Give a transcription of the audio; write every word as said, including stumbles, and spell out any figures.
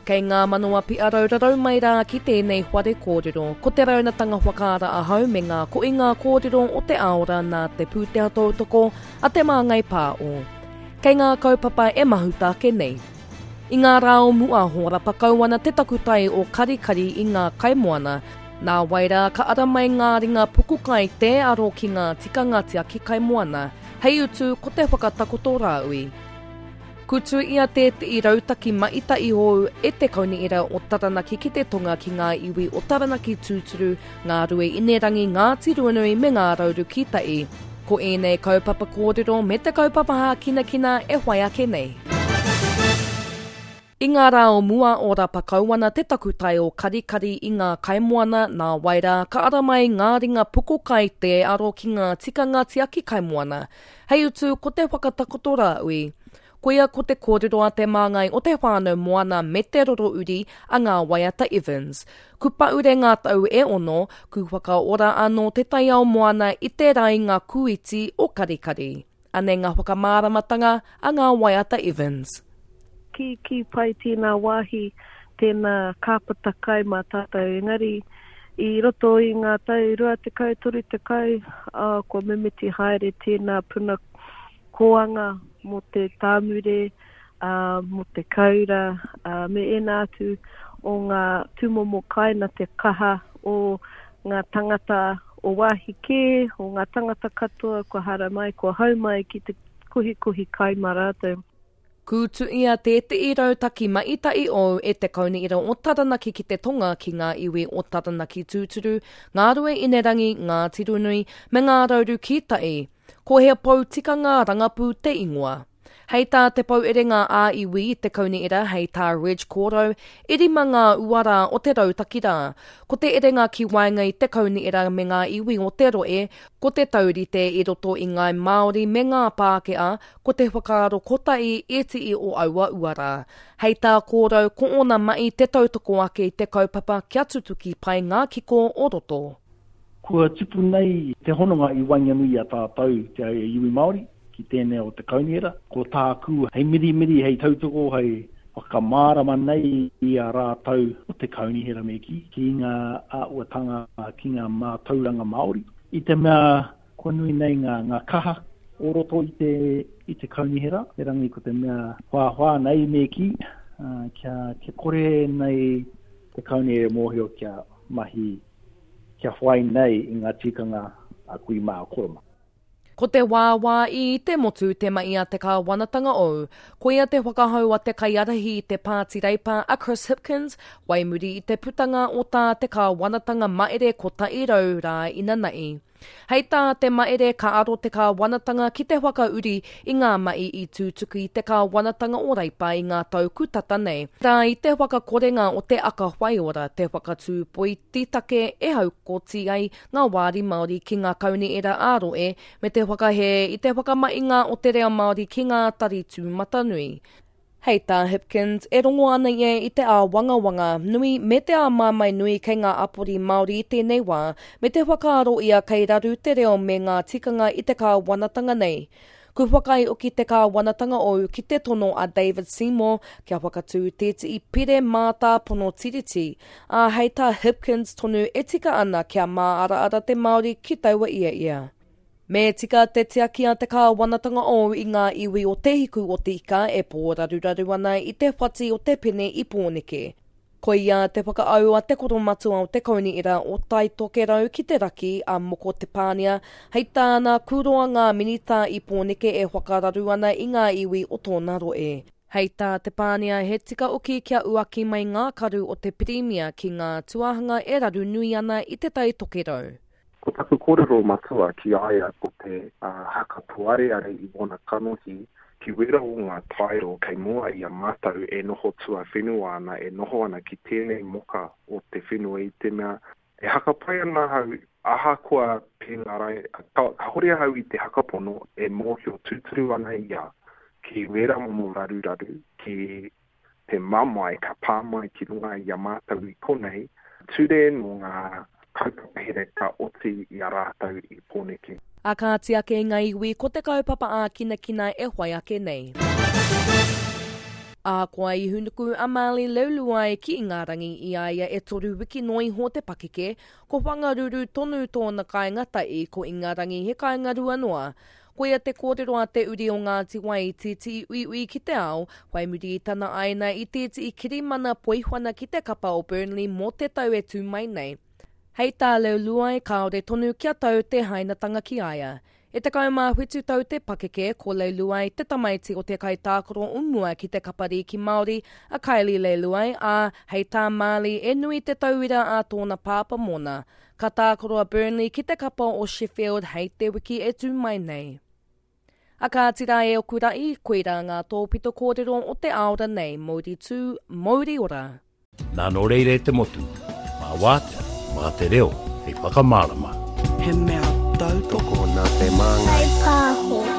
Kei ngā manawa piarau rarau mai rā ki tēnei whare kōrero. Ko te raunatanga whakaara ahau me ngā koinga kōrero o te aora nā te pūtea tautoko a te Māngai Pāo. Kei ngā kaupapa e mahuta ake nei. I ngā rā o mua hōrapa kau ana te takutai o Karikari i ngā kaimoana. Nā wai rā ka ara mai ngā ringa pukukai tē aro ki ngā tikanga tiaki kaimoana. Hei utu ko te whakatakoto rāui. Kutu ia tētehi rautaki maita'i hou e te Kaunihera o Taranaki ki te tonga ki ngā iwi o Taranaki tūturu, Ngā Rue Inerangi, Ngāti Ruanui me Ngā Rauru ki Tai. Ko ēnei kaupapa kōrero me te kaupapa hākinakina e whai ake nei. I ngā rā o mua ōrapa kau ana te takutai o Karikari i ngā kaimoana, nā wai rā ka ara mai ngā ringa pukukai tē aro ki ngā tikanga tiaki kaimoana. Hei utu ko te whakatakoto rāui. Koia ko te kōrero a te māngai o te whānau moana me te roro uri a Ngā Waiata Evans. Ku paure ngā tau e ono, ku whakaora anō te taiao moana i te rainga kūiti o Karikari. Anei ngā whakamāramatanga a Ngā Waiata Evans. Kī, kī pai tēnā wāhi, tēnā kāpata kai mā tātou, engari i roto i ngā tau rua tekau, toru tekau, ā, kua mimiti haere tēnā puna kōanga mō te tāmure, ā, mō te kaura, ā, me ēnā atu o ngā tūmomo kai nā te kaha o ngā tangata o wāhi kē, o ngā tangata katoa kua haramai, kua hau mai ki te kohikohi kai mā rātou. Kūtuia tētehi rautaki maita'i ou e te Kaunihera o Taranaki ki te tonga ki ngā iwi o Taranaki tūturu, Ngā Rue Inerangi, Ngāti Ruanui, me Ngā Rauru ki Tai. Ko He Pou Tikanga Rangapū te ingoa. Hei tā te pou erenga ā-iwi i te Kaunihera, hei tā Reg Kōrau, e rima ngā uara o te rautaki rā. Ko te erenga ki waenga i te Kaunihera me ngā iwi o te rohe, ko te taurite i roto i ngāi Māori me ngā Pākehā, ko te whakaaro kotahi ētehi o aua uara. Hei tā Kōrau, ko ōna mahi te tautoko ake i te kaupapa kia tutuki pai ngā kiko o roto. Kua tupu nei te hononga i waenganui i a tātou te iwi Māori ki tēnei o te kaunihera. Ko tāku hei mirimiri, hei tautoko, hei whakamārama nei i a rātou o te kaunihera me kī, ki ngā āhuatanga, ki ngā mātauranga Māori. I te mea kua nui nei ngā, ngā kaha o roto i te, i te kaunihera, erangi ko te mea whāwhā nei me kī, kia, kia kore nei te kaunihera e mōhio kia mahi kia whai nei i ngā tikanga a kui mā a koro mā. Ko te wāwā i te motu te mahi a te kāwanatanga ou. Koia te whakahau a te kaiārahi i te Pāti Reipa a Chris Hipkins, wai muri i te putanga o tā te kāwanatanga maere kotahi rau rā inanahi. Hei tā te maere ka aro te kāwanatanga ki te whakauri i ngā mahi i tutuki i te kāwanatanga o Reipa i ngā tau kutata nei. Rā i te whakakorenga o te aka whaiora, te whakatū poititake e haukoti ai ngā wāri Māori ki ngā kaunihera ā-rohe me te whakahē i te whakamahinga o te reo Māori ki ngā tari tūmatanui. Hei tā Hipkins, e rongo ana ia i te āwangawanga nui me te āmaimai nui kei ngā apori Māori i tēnei wā, me te whakaaro ia kei raru te reo me ngā tikanga i te kāwanatanga nei. Ku whakaae hoki te kāwanatanga ou ki te tono a David Seymour kia whakatū tētehi pire mātāpono tiriti, ā, hei tā Hipkins tonu e tika ana kia māaraara te Māori ki taua ia ia. Me tika te tiaki a te kāwanatanga ou i ngā iwi o Te Hiku o te Ika e pōraruraru ana i te whati o te pene i Pōneke. Koia te whakaau a te koromatua o te Kaunihera o Tai Tokerau ki te Raki, a Moko Te Pānia, hei tāna kūroa ngā minita i Pōneke e whakararu ana i ngā iwi o tōna rohe. Hei tā Te Pānia he tika hoki kia uaki mai ngā karu o te Pirimia ki ngā tuahanga e raru nui ana i Te Tai Tokerau. Ko taku kōrero matua ki a ia ko te haka poareare i wona kanohi ki wera o ngā taero kei mua i a mātou e noho tuawhenua ana, e noho ana ki tēnei moka o te whenua i te mea e haka pai ana ahau ahakoa pēnā rai, kāore ahau i te hakapono e mōhio tūturu ana ia ki wera momo raruraru, ki te mamae ka pā mai ki runga i a mātou i konei, ture nō ngā kaupapa here ka oti i a rātou i Pōneke. A kāti ake i ngā iwi ko te kaupapa ākinakina e whai ake nei. Ahakoa i hūnuku a Marley Leuluai ki Ingarangi i a ia e toru wiki noa iho te pakeke, ko Whangaruru tonu tōna kāinga tahi, ko Ingarangi he kāinga rua noa. Koia te kōrero a te uri o Ngāti Wai i tētehi uiui ki te ao, whai muri i tana āina i tētehi kirimana poihuana ki te kapa o Burnley mō te tau e tū mai nei. Hei tā Leuluai, kāore tonu kia tau te hainatanga ki a ia. E tekau mā whitu tau te pakeke, ko Leuluai te tamaiti o te kaitākaro o mua ki te kapa rīki Māori, a Kylie Leuluai, ā, hei tā Marley e nui te tauira a tōna pāpā mōna. Ka tākaro a Burnley ki te kapa o Sheffield hei te wiki e tū mai nei. A kāti rā e oku ra'i, koirā ngā tōpito kōrero o te aora nei, mouri tū, mouri ora. Nā nō reira e te motu, mā wātea, mā te reo hei whakamārama. He mea tautoko nā te māngai. Kaipāho.